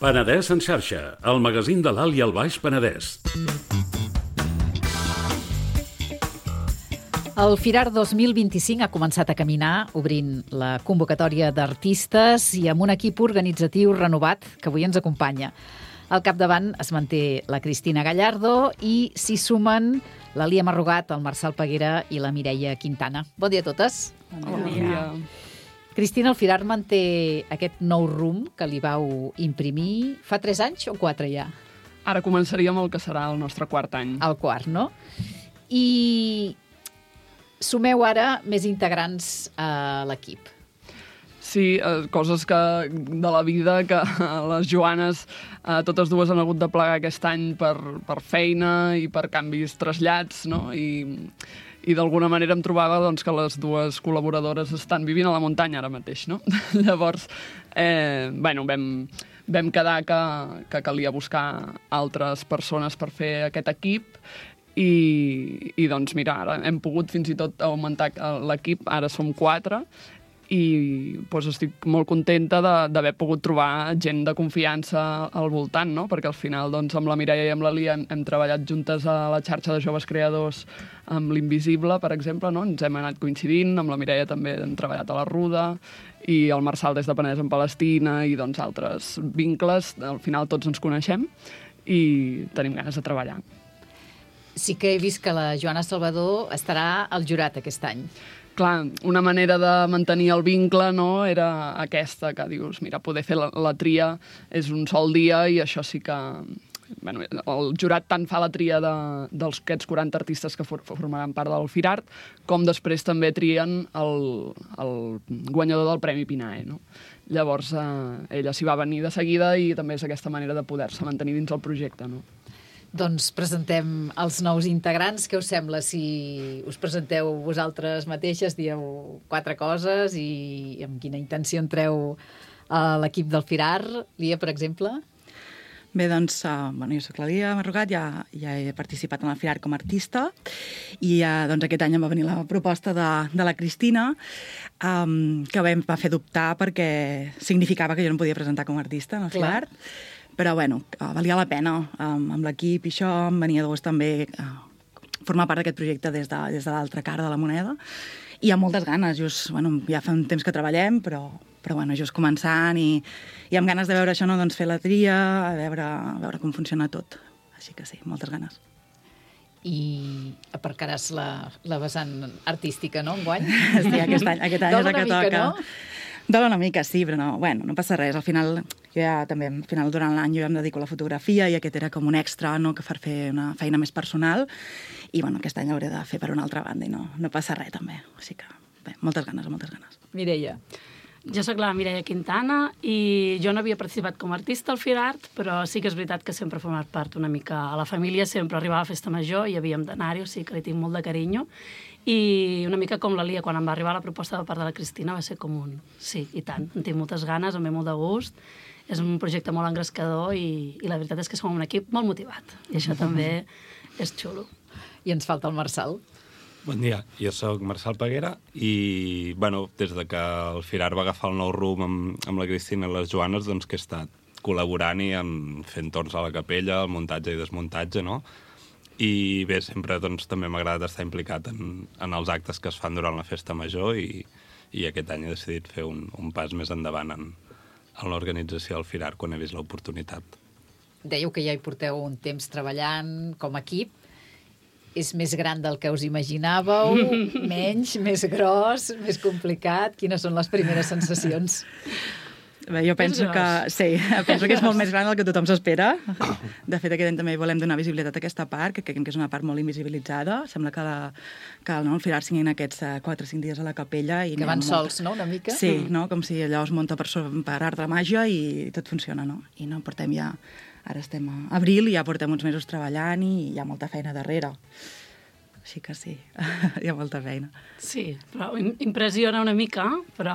Penedès en xarxa, el magazín de l'Alt i el Baix Penedès. El Firar 2025 ha començat a caminar, obrint la convocatòria d'artistes i amb un equip organitzatiu renovat que avui ens acompanya. Al capdavant es manté la Cristina Gallardo i s'hi sumen la Lia Marrugat, el Marçal Peguera i la Mireia Quintana. Bon dia a totes. Bon dia. Cristina, el Firar manté aquest nou rumb que li vau imprimir fa 3 anys o 4 ja? Ara començaríem el que serà el nostre quart any. El quart, no? I sumeu ara més integrants a l'equip. Sí, coses de la vida que les Joanes, totes dues han hagut de plegar aquest any per feina i per canvis trasllats, no? I d'alguna manera em trobava doncs, que les dues col·laboradores estan vivint a la muntanya ara mateix, no? Llavors, vam quedar que calia buscar altres persones per fer aquest equip i doncs mira, ara hem pogut fins i tot augmentar l'equip, ara som 4 i doncs estic molt contenta d'haver pogut trobar gent de confiança al voltant, no? Perquè al final doncs, amb la Mireia i amb la Lia hem treballat juntes a la xarxa de joves creadors amb l'Invisible, per exemple, no? Ens hem anat coincidint, amb la Mireia també hem treballat a la Ruda i el Marçal des de Penedès en Palestina i doncs altres vincles, al final tots ens coneixem i tenim ganes de treballar. Sí que he vist que la Joana Salvador estarà al jurat aquest any. Clar, una manera de mantenir el vincle, no?, era aquesta, que dius, mira, poder fer la tria és un sol dia i això sí que... Bueno, el jurat tant fa la tria dels aquests 40 artistes que formaran part del Firart, com després també trien el guanyador del Premi Pinae, no? Llavors, ella s'hi va venir de seguida i també és aquesta manera de poder-se mantenir dins el projecte, no? Doncs presentem els nous integrants. Què us sembla si us presenteu vosaltres mateixes, dieu 4 coses i amb quina intenció entreu a l'equip del Firar? Lia, per exemple? Bé, doncs, jo soc la Lia Marrugat, ja he participat en el Firar com a artista i doncs aquest any em va venir la proposta de la Cristina que em va fer dubtar perquè significava que jo no em podia presentar com a artista en el Firar. Però, valia la pena amb l'equip i això, em venia de gust també formar part d'aquest projecte des de l'altra cara de la moneda i amb moltes ganes, ja fa un temps que treballem, però just començant i amb ganes de veure això, no? Doncs fer la tria, a veure com funciona tot. Així que sí, moltes ganes. I aparcaràs la vessant artística, no, enguany? Sí, aquest any és el que toca. No? Dóna una mica, sí, però no passa res. Al final, durant l'any jo ja em dedico a la fotografia i aquest era com un extra, no?, que per fer una feina més personal i aquest any hauré de fer per una altra banda i no passa res també. Així que, bé, moltes ganes. Mireia. Jo sóc la Mireia Quintana i jo no havia participat com a artista al Firart, però sí que és veritat que sempre he format part una mica a la família, sempre arribava a Festa Major i havíem d'anar-hi, o sigui que li tinc molt de carinyo. I una mica com la Lia, quan em va arribar la proposta de part de la Cristina va ser com un sí, i tant, en tinc moltes ganes, em ve molt de gust, és un projecte molt engrescador i la veritat és que som un equip molt motivat i això també és xulo. I ens falta el Marçal. Bon dia, jo sóc Marçal Peguera i, des de que el Firar va agafar el nou rumb amb la Cristina i les Joanes, doncs que he estat col·laborant i fent torns a la capella, el muntatge i desmuntatge, no? I bé, sempre també m'ha agradat estar implicat en els actes que es fan durant la Festa Major i aquest any he decidit fer un pas més endavant en l'organització del Firar quan he vist l'oportunitat. Dèieu que ja hi porteu un temps treballant com a equip. És més gran del que us imaginàveu? Menys, més gros, més complicat? Quines són les primeres sensacions? Bé, jo penso que és molt més gran del que tothom s'espera. De fet, aquest any també volem donar visibilitat a aquesta part, que creiem que és una part molt invisibilitzada. Sembla que el Firar siguin aquests 4 o 5 dies a la capella. Que van sols, no?, una mica? Sí, no? Com si allò es munta per art de màgia i tot funciona, no? I no portem ja... Ara estem a abril i ja portem uns mesos treballant i hi ha molta feina darrere. Així que sí, hi ha molta feina. Sí, però impressiona una mica, però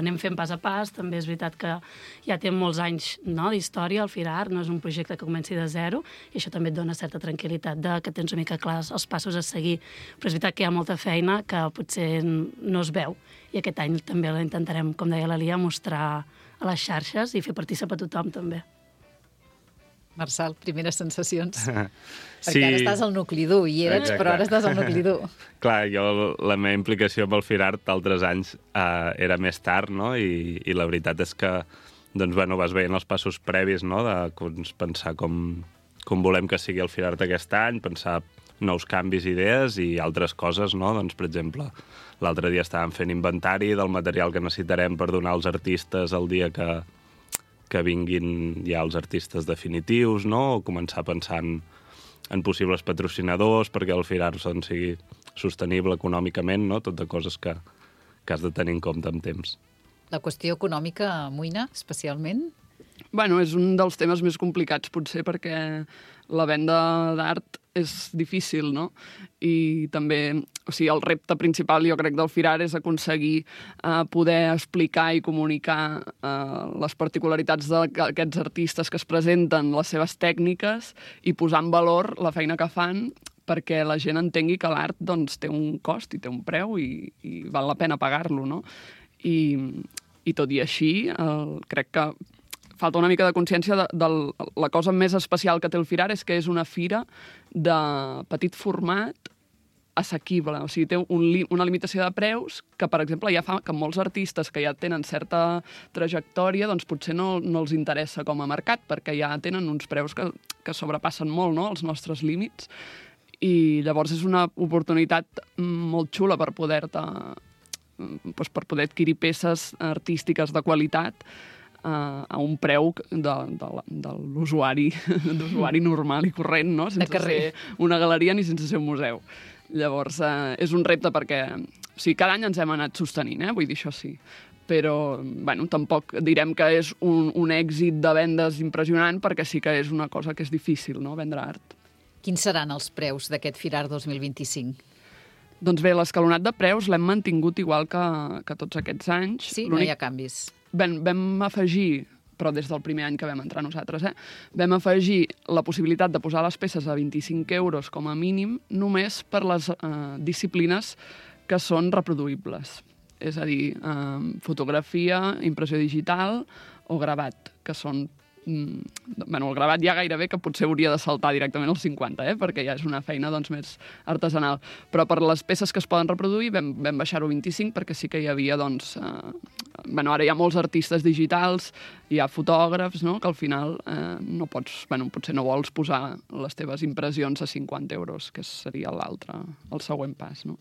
anem fent pas a pas. També és veritat que ja té molts anys, no, d'història, el Firar, no és un projecte que comenci de zero, i això també et dona certa tranquil·litat de que tens una mica clars els passos a seguir. Però és veritat que hi ha molta feina que potser no es veu, i aquest any també la intentarem, com deia la Lia, mostrar a les xarxes i fer partícip a tothom, també. Marçal, primeres sensacions? Sí. Perquè ara estàs al nucli dur, i eres, però ara estàs al nucli dur. Clar, la meva implicació amb el Firart d'altres anys era més tard, no? I la veritat és que doncs, bueno, vas veient els passos previs, no? De pensar com volem que sigui el Firart aquest any, pensar nous canvis, idees i altres coses, no? Doncs, per exemple, l'altre dia estàvem fent inventari del material que necessitarem per donar als artistes el dia que vinguin ja els artistes definitius, no? O començar a pensar en possibles patrocinadors perquè el Firart sigui sostenible econòmicament, no? Tot de coses que has de tenir en compte amb temps. La qüestió econòmica amoïna, especialment? Bueno, és un dels temes més complicats, potser, perquè la venda d'art és difícil, no? I també, o sigui, el repte principal, jo crec, del Firar és aconseguir poder explicar i comunicar les particularitats d'aquests artistes que es presenten, les seves tècniques, i posar en valor la feina que fan perquè la gent entengui que l'art doncs, té un cost i té un preu i val la pena pagar-lo, no? I tot i així, crec que falta una mica de consciència de la cosa més especial que té el Firar és que és una fira de petit format assequible. O sigui, té una limitació de preus que, per exemple, ja fa que molts artistes que ja tenen certa trajectòria doncs potser no els interessa com a mercat perquè ja tenen uns preus que sobrepassen molt, no?, els nostres límits. I llavors és una oportunitat molt xula per poder adquirir peces artístiques de qualitat a un preu de l'usuari normal i corrent, no? Sense ser una galeria ni sense ser un museu. Llavors, és un repte perquè cada any ens hem anat sostenint, vull dir, això sí. Però, bueno, tampoc direm que és un èxit de vendes impressionant perquè sí que és una cosa que és difícil, no?, vendre art. Quins seran els preus d'aquest Firar 2025? Doncs bé, l'escalonat de preus l'hem mantingut igual que tots aquests anys. Sí, no hi ha canvis. Vam afegir, però des del primer any que vam entrar nosaltres, vam afegir la possibilitat de posar les peces a 25 euros com a mínim només per les disciplines que són reproduïbles. És a dir, fotografia, impressió digital o gravat, que són el gravat ja gairebé que potser hauria de saltar directament als 50, perquè ja és una feina doncs, més artesanal. Però per les peces que es poden reproduir vam baixar-ho a 25 perquè sí que hi havia, doncs... ara hi ha molts artistes digitals, hi ha fotògrafs, no?, que al final no pots... potser no vols posar les teves impressions a 50 euros, que seria el següent pas, no?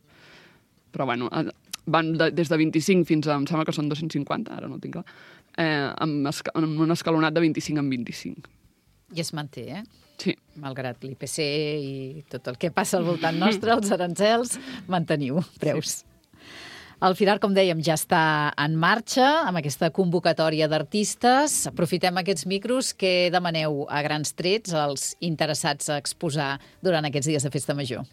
Però, van des de 25 fins a, em sembla que són 250, ara no ho tinc clar, amb un escalonat de 25 en 25. I es manté, Sí. Malgrat l'IPC i tot el que passa al voltant nostre, els arancels, manteniu preus. El Firar, com dèiem, ja està en marxa amb aquesta convocatòria d'artistes. Aprofitem aquests micros que demaneu a grans trets als interessats a exposar durant aquests dies de Festa Major.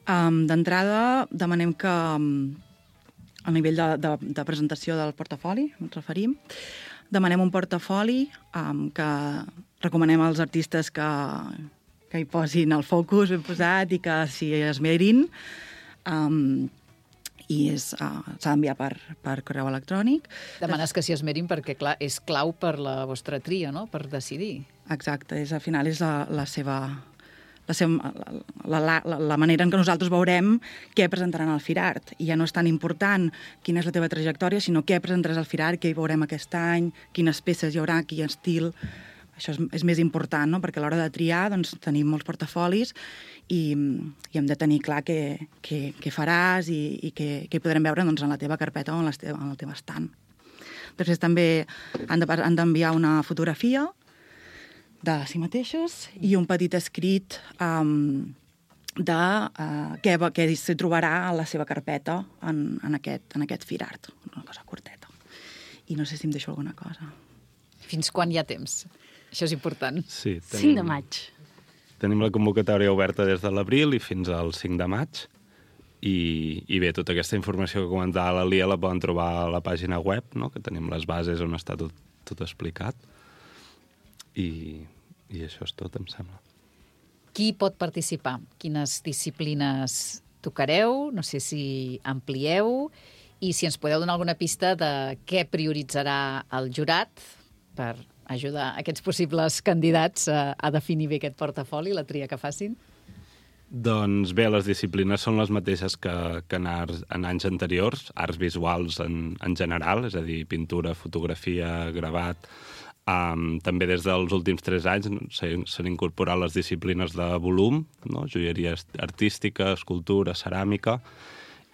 D'entrada, demanem que a nivell de presentació del portafoli, ens referim, demanem un portafoli que recomanem als artistes que hi posin el focus ben posat i que s'hi esmerin, i s'ha d'enviar per correu electrònic. Demanes que s'hi esmerin perquè, clar, és clau per la vostra tria, no?, per decidir. Exacte, al final és la manera en què nosaltres veurem què presentaran al Firart. I ja no és tan important quina és la teva trajectòria, sinó què presentaràs al Firart, què hi veurem aquest any, quines peces hi haurà, quin estil. Això és més important, no?, perquè a l'hora de triar doncs, tenim molts portafolis i hem de tenir clar què faràs i què hi podrem veure doncs, en la teva carpeta o en el teu estant. Després també han d'enviar una fotografia de si mateixos i un petit escrit de què s'hi trobarà a la seva carpeta en aquest Firart. Una cosa curteta. I no sé si em deixo alguna cosa. Fins quan hi ha temps? Això és important. Sí, 5 de maig. Tenim la convocatòria oberta des de l'abril i fins al 5 de maig. I bé, tota aquesta informació que comentava la Lia la poden trobar a la pàgina web, no? Que tenim les bases on està tot explicat. I això és tot, em sembla. Qui pot participar? Quines disciplines tocareu? No sé si amplieu. I si ens podeu donar alguna pista de què prioritzarà el jurat per ajudar aquests possibles candidats a definir bé aquest portafoli, la tria que facin? Doncs bé, les disciplines són les mateixes que en anys anteriors, arts visuals en general, és a dir, pintura, fotografia, gravat. També des dels últims 3 anys s'han incorporat les disciplines de volum, no? Joieria artística, escultura, ceràmica,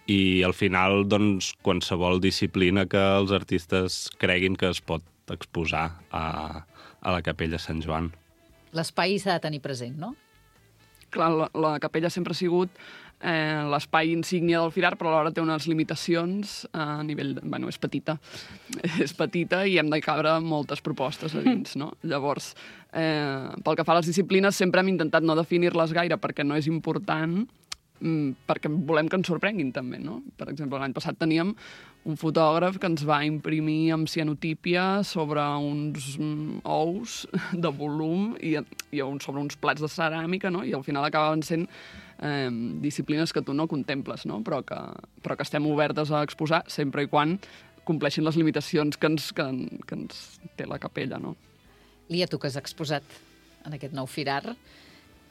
i al final, doncs, qualsevol disciplina que els artistes creguin que es pot exposar a la Capella Sant Joan. L'espai s'ha de tenir present, no? Clar, la capella sempre ha sigut l'espai insígnia del Firar, però alhora té unes limitacions a nivell... Bueno, és petita. És petita i hem de cabre moltes propostes a dins, no? Llavors, pel que fa a les disciplines, sempre hem intentat no definir-les gaire perquè no és important, perquè volem que ens sorprenguin també, no? Per exemple, l'any passat teníem un fotògraf que ens va imprimir amb cianotípia sobre uns ous de volum i sobre uns plats de ceràmica, no? I al final acabaven sent disciplines que tu no contemples, no? Però que estem obertes a exposar sempre i quan compleixin les limitacions que ens té la capella, no? Lia, tu que has exposat en aquest nou Firar,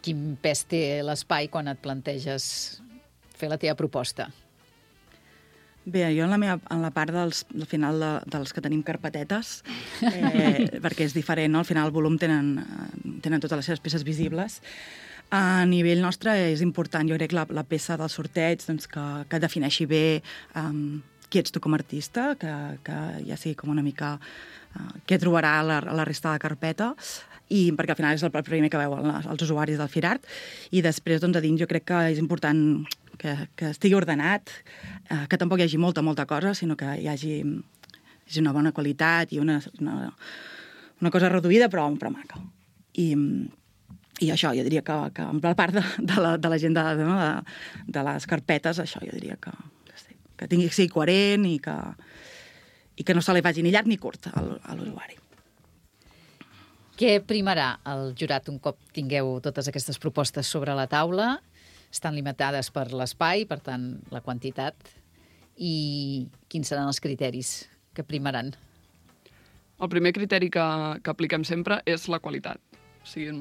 quin pes té l'espai quan et planteges fer la teva proposta? Bé, jo en la part del final dels que tenim carpetetes, perquè és diferent, no? Al final el volum tenen totes les seves peces visibles. A nivell nostre és important, jo crec, la peça del sorteig, doncs, que defineixi bé qui ets tu com a artista, que ja sigui com una mica què trobarà a la resta de la carpeta, i perquè al final és el primer que veuen els usuaris del Firart, i després, doncs, a dins jo crec que és important que estigui ordenat, que tampoc hi hagi molta cosa, sinó que hi hagi una bona qualitat i una cosa reduïda però maca. I això, jo diria que en la part de la gent de les carpetes, això jo diria que sigui coherent i que no se li faci ni llarg ni curt a l'usuari. Què primarà el jurat un cop tingueu totes aquestes propostes sobre la taula? Estan limitades per l'espai, per tant, la quantitat. I quins seran els criteris que primaran? El primer criteri que apliquem sempre és la qualitat. O sigui,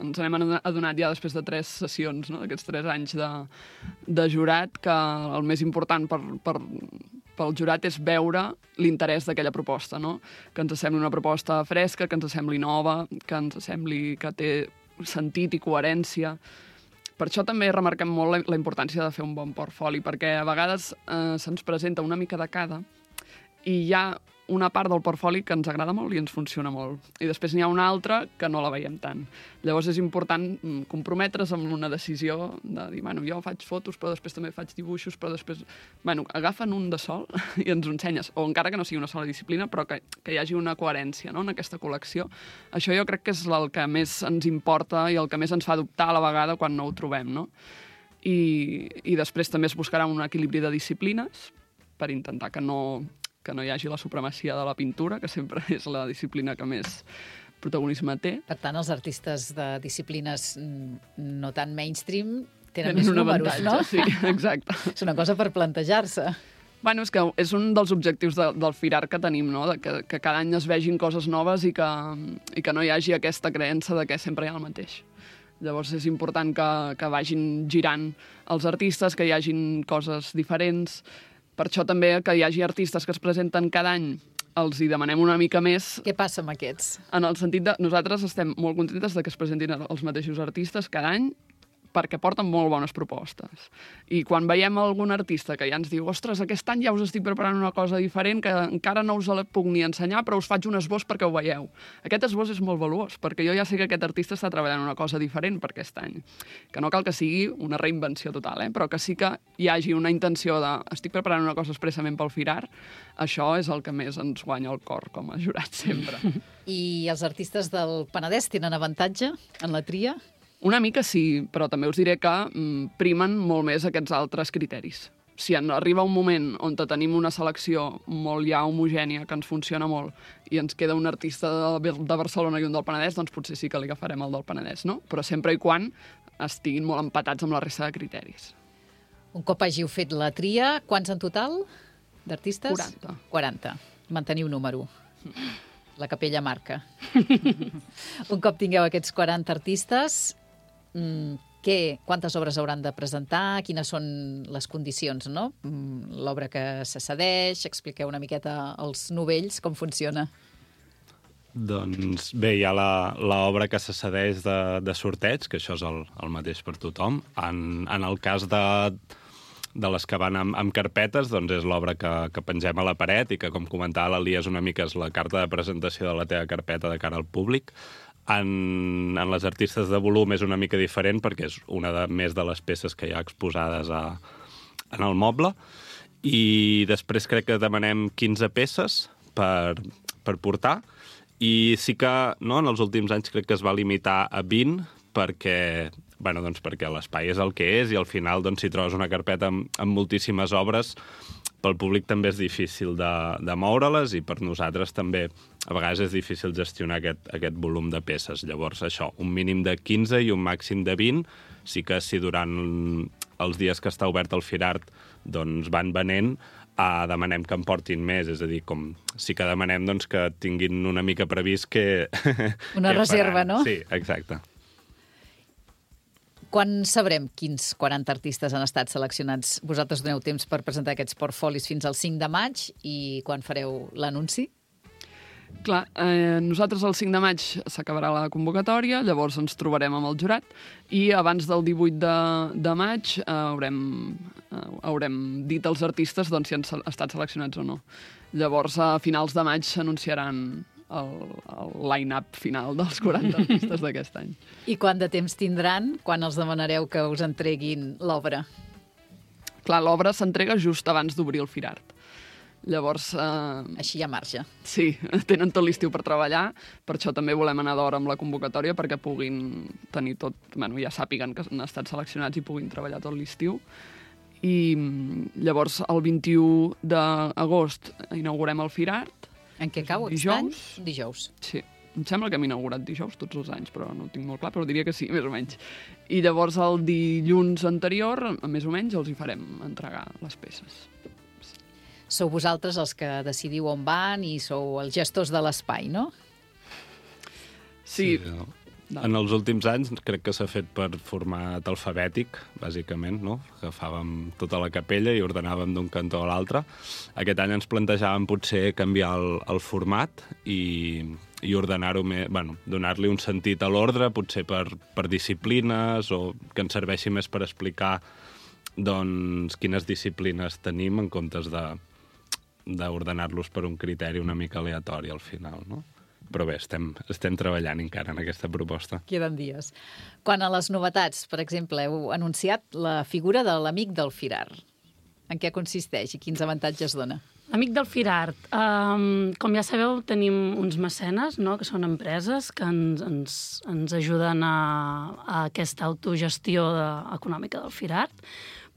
ens n'hem adonat ja després de 3 sessions, no? Aquests 3 anys de jurat, que el més important pel jurat és veure l'interès d'aquella proposta, no? Que ens sembli una proposta fresca, que ens sembli nova, que ens sembli que té sentit i coherència. Per això també remarquem molt la importància de fer un bon portfoli, perquè a vegades se'ns presenta una mica de cada i hi ha una part del portfoli que ens agrada molt i ens funciona molt. I després n'hi ha una altra que no la veiem tant. Llavors és important comprometre's amb una decisió de dir, bueno, jo faig fotos, però després també faig dibuixos, però després... Bueno, agafen un de sol i ens ho ensenyes. O encara que no sigui una sola disciplina, però que hi hagi una coherència, no?, en aquesta col·lecció. Això jo crec que és el que més ens importa i el que més ens fa dubtar a la vegada quan no ho trobem, no? I després també es buscarà un equilibri de disciplines per intentar que no hi hagi la supremacia de la pintura, que sempre és la disciplina que més protagonisme té. Per tant, els artistes de disciplines no tan mainstream tenen més números, no? Sí, exacte. És una cosa per plantejar-se. Bueno, és que és un dels objectius del Firar que tenim, no? Que cada any es vegin coses noves i que no hi hagi aquesta creença de que sempre hi ha el mateix. Llavors és important que vagin girant els artistes, que hi hagin coses diferents. Per això també que hi hagi artistes que es presenten cada any, els hi demanem una mica més. Què passa amb aquests? En el sentit de nosaltres estem molt contentes de que es presentin els mateixos artistes cada any, perquè porten molt bones propostes. I quan veiem algun artista que ja ens diu ostres, aquest any ja us estic preparant una cosa diferent, que encara no us la puc ni ensenyar, però us faig un esbós perquè ho veieu. Aquest esbós és molt valuós, perquè jo ja sé que aquest artista està treballant una cosa diferent per aquest any. Que no cal que sigui una reinvenció total, però que sí que hi hagi una intenció de estic preparant una cosa expressament pel Firar, això és el que més ens guanya el cor com a jurat sempre. I els artistes del Penedès tenen avantatge en la tria? Una mica sí, però també us diré que primen molt més aquests altres criteris. Si arriba un moment on tenim una selecció molt ja homogènia, que ens funciona molt, i ens queda un artista de Barcelona i un del Penedès, doncs potser sí que li agafarem el del Penedès, no? Però sempre i quan estiguin molt empatats amb la resta de criteris. Un cop hàgiu fet la tria, quants en total d'artistes? 40. 40. Manteniu número. La capella marca. Un cop tingueu aquests 40 artistes, quantes obres hauran de presentar? Quines són les condicions, no? L'obra que se cedeix, expliqueu una miqueta als novells com funciona. Doncs bé, hi ha l'obra que se cedeix de sorteig, que això és el mateix per tothom. En el cas de les que van amb carpetes, doncs és l'obra que pengem a la paret i que, com comentava l'Elia, és una mica la carta de presentació de la teva carpeta de cara al públic. En les artistes de volum és una mica diferent perquè és una més de les peces que hi ha exposades en el moble. I després crec que demanem 15 peces per portar. I sí que en els últims anys crec que es va limitar a 20 perquè l'espai és el que és i al final si trobes una carpeta amb moltíssimes obres, pel públic també és difícil de moure-les i per nosaltres també a vegades és difícil gestionar aquest volum de peces. Llavors això, un mínim de 15 i un màxim de 20. Sí que si durant els dies que està obert el Firart doncs van venent, demanem que en portin més, és a dir, sí que demanem que tinguin una mica previst que... Una reserva, no? Sí, exacte. Quan sabrem quins 40 artistes han estat seleccionats? Vosaltres doneu temps per presentar aquests portfolis fins al 5 de maig i quan fareu l'anunci? Clar, nosaltres el 5 de maig s'acabarà la convocatòria, llavors ens trobarem amb el jurat i abans del 18 de maig haurem dit als artistes si han estat seleccionats o no. Llavors, a finals de maig s'anunciaran el line-up final dels 40 artistes d'aquest any. I quant de temps tindran quan els demanareu que us entreguin l'obra? Clar, l'obra s'entrega just abans d'obrir el Firart. Llavors... Així hi ha marge. Sí, tenen tot l'estiu per treballar, per això també volem anar d'hora amb la convocatòria perquè puguin tenir tot... ja sàpiguen que han estat seleccionats i puguin treballar tot l'estiu. I llavors el 21 d'agost inaugurem el Firart. En què cau aquest any? Dijous. Sí, em sembla que hem inaugurat dijous tots els anys, però no ho tinc molt clar, però diria que sí, més o menys. I llavors el dilluns anterior, més o menys, els hi farem entregar les peces. Sou vosaltres els que decidiu on van i sou els gestors de l'espai, no? Sí. En els últims anys crec que s'ha fet per format alfabètic, bàsicament, no? Agafàvem tota la capella i ordenàvem d'un cantó a l'altre. Aquest any ens plantejàvem potser canviar el format i ordenar-ho més, donar-li un sentit a l'ordre, potser per disciplines o que ens serveixi més per explicar quines disciplines tenim en comptes d'ordenar-los per un criteri una mica aleatori al final, no? Però bé, estem treballant encara en aquesta proposta. Queden dies. Quan a les novetats, per exemple, heu anunciat la figura de l'amic del Firart. En què consisteix i quins avantatges dona? L'amic del Firart. Com ja sabeu, tenim uns mecenes, no?, que són empreses que ens ajuden a aquesta autogestió econòmica del Firart,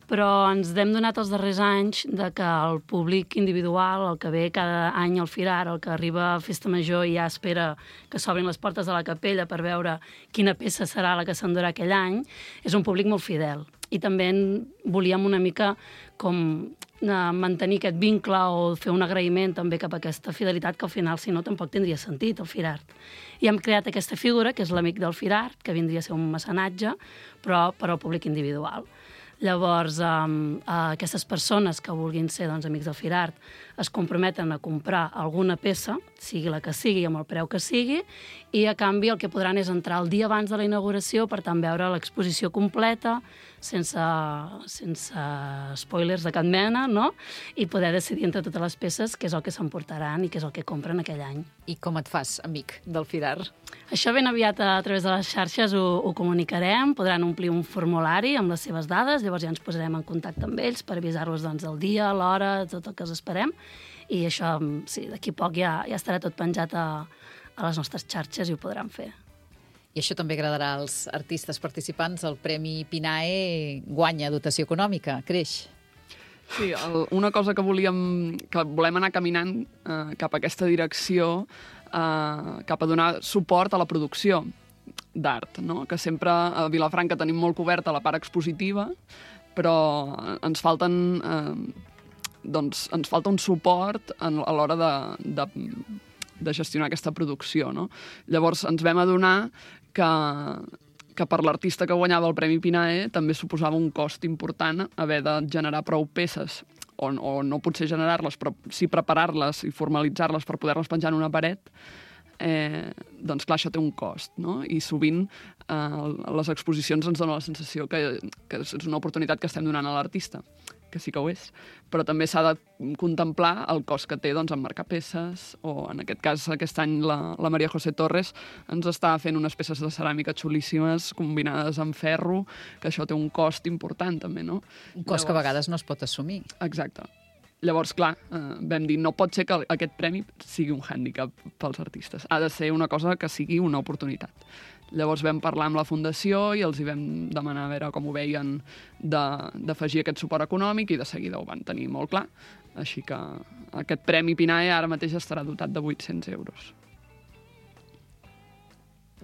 però ens hem donat els darrers anys que el públic individual, el que ve cada any al Firart, el que arriba a Festa Major i ja espera que s'obrin les portes de la capella per veure quina peça serà la que s'endurà aquell any, és un públic molt fidel. I també volíem una mica com mantenir aquest vincle o fer un agraïment també cap a aquesta fidelitat que al final, si no, tampoc tindria sentit el Firart. I hem creat aquesta figura, que és l'amic del Firart, que vindria a ser un mecenatge, però per al públic individual. Llavors, aquestes persones que vulguin ser amics del Firart es comprometen a comprar alguna peça, sigui la que sigui, amb el preu que sigui, i a canvi el que podran és entrar el dia abans de la inauguració per tant veure l'exposició completa, sense spoilers de cap mena, no? I poder decidir entre totes les peces què és el que s'emportaran i què és el que compren aquell any. I com et fas, amic del Firart? Això ben aviat a través de les xarxes ho comunicarem, podran omplir un formulari amb les seves dades, llavors ja ens posarem en contacte amb ells per avisar-los del dia, l'hora, tot el que els esperem, i això, sí, d'aquí poc ja estarà tot penjat a les nostres xarxes i ho podran fer. I això també agradarà als artistes participants. El Premi Pinae guanya dotació econòmica, creix. Sí, una cosa que volem anar caminant cap a aquesta direcció, cap a donar suport a la producció d'art, no? Que sempre a Vilafranca tenim molt coberta la part expositiva, però ens falta un suport a l'hora de gestionar aquesta producció, no? Llavors ens vam adonar que per l'artista que guanyava el Premi Pinae també suposava un cost important haver de generar prou peces, o no potser generar-les, però sí preparar-les i formalitzar-les per poder-les penjar en una paret. Doncs clar, això té un cost, no? I sovint les exposicions ens donen la sensació que és una oportunitat que estem donant a l'artista, que sí que ho és, però també s'ha de contemplar el cost que té emmarcar peces, o en aquest cas aquest any la Maria José Torres ens està fent unes peces de ceràmica xulíssimes combinades amb ferro, que això té un cost important també, no? Un cost que a vegades no es pot assumir. Exacte. Llavors, clar, vam dir, no pot ser que aquest premi sigui un hàndicap pels artistes. Ha de ser una cosa que sigui una oportunitat. Llavors vam parlar amb la Fundació i els hi vam demanar a veure com ho veien d'afegir aquest suport econòmic, i de seguida ho van tenir molt clar. Així que aquest Premi Pinae ara mateix estarà dotat de 800 euros.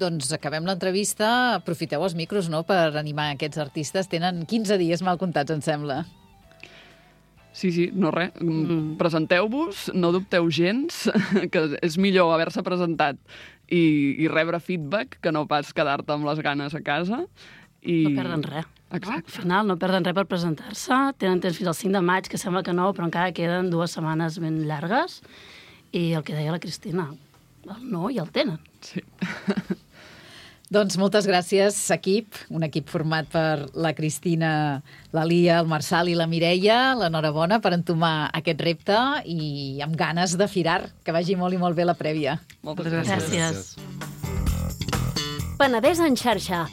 Doncs acabem l'entrevista. Aprofiteu els micros, no?, per animar aquests artistes. Tenen 15 dies mal comptats, em sembla. Sí, no res. Presenteu-vos, no dubteu gens, que és millor haver-se presentat i rebre feedback que no pas quedar-te amb les ganes a casa. No perden res. Exacte. Al final no perden res per presentar-se. Tenen temps fins al 5 de maig, que sembla que no, però encara queden 2 setmanes ben llargues. I el que deia la Cristina, el no ja el tenen. Sí. Doncs moltes gràcies, equip. Un equip format per la Cristina, la Lia, el Marçal i la Mireia. L'enhorabona per entomar aquest repte i amb ganes de firar. Que vagi molt i molt bé la prèvia. Moltes gràcies. Gràcies. Penedès en xarxa,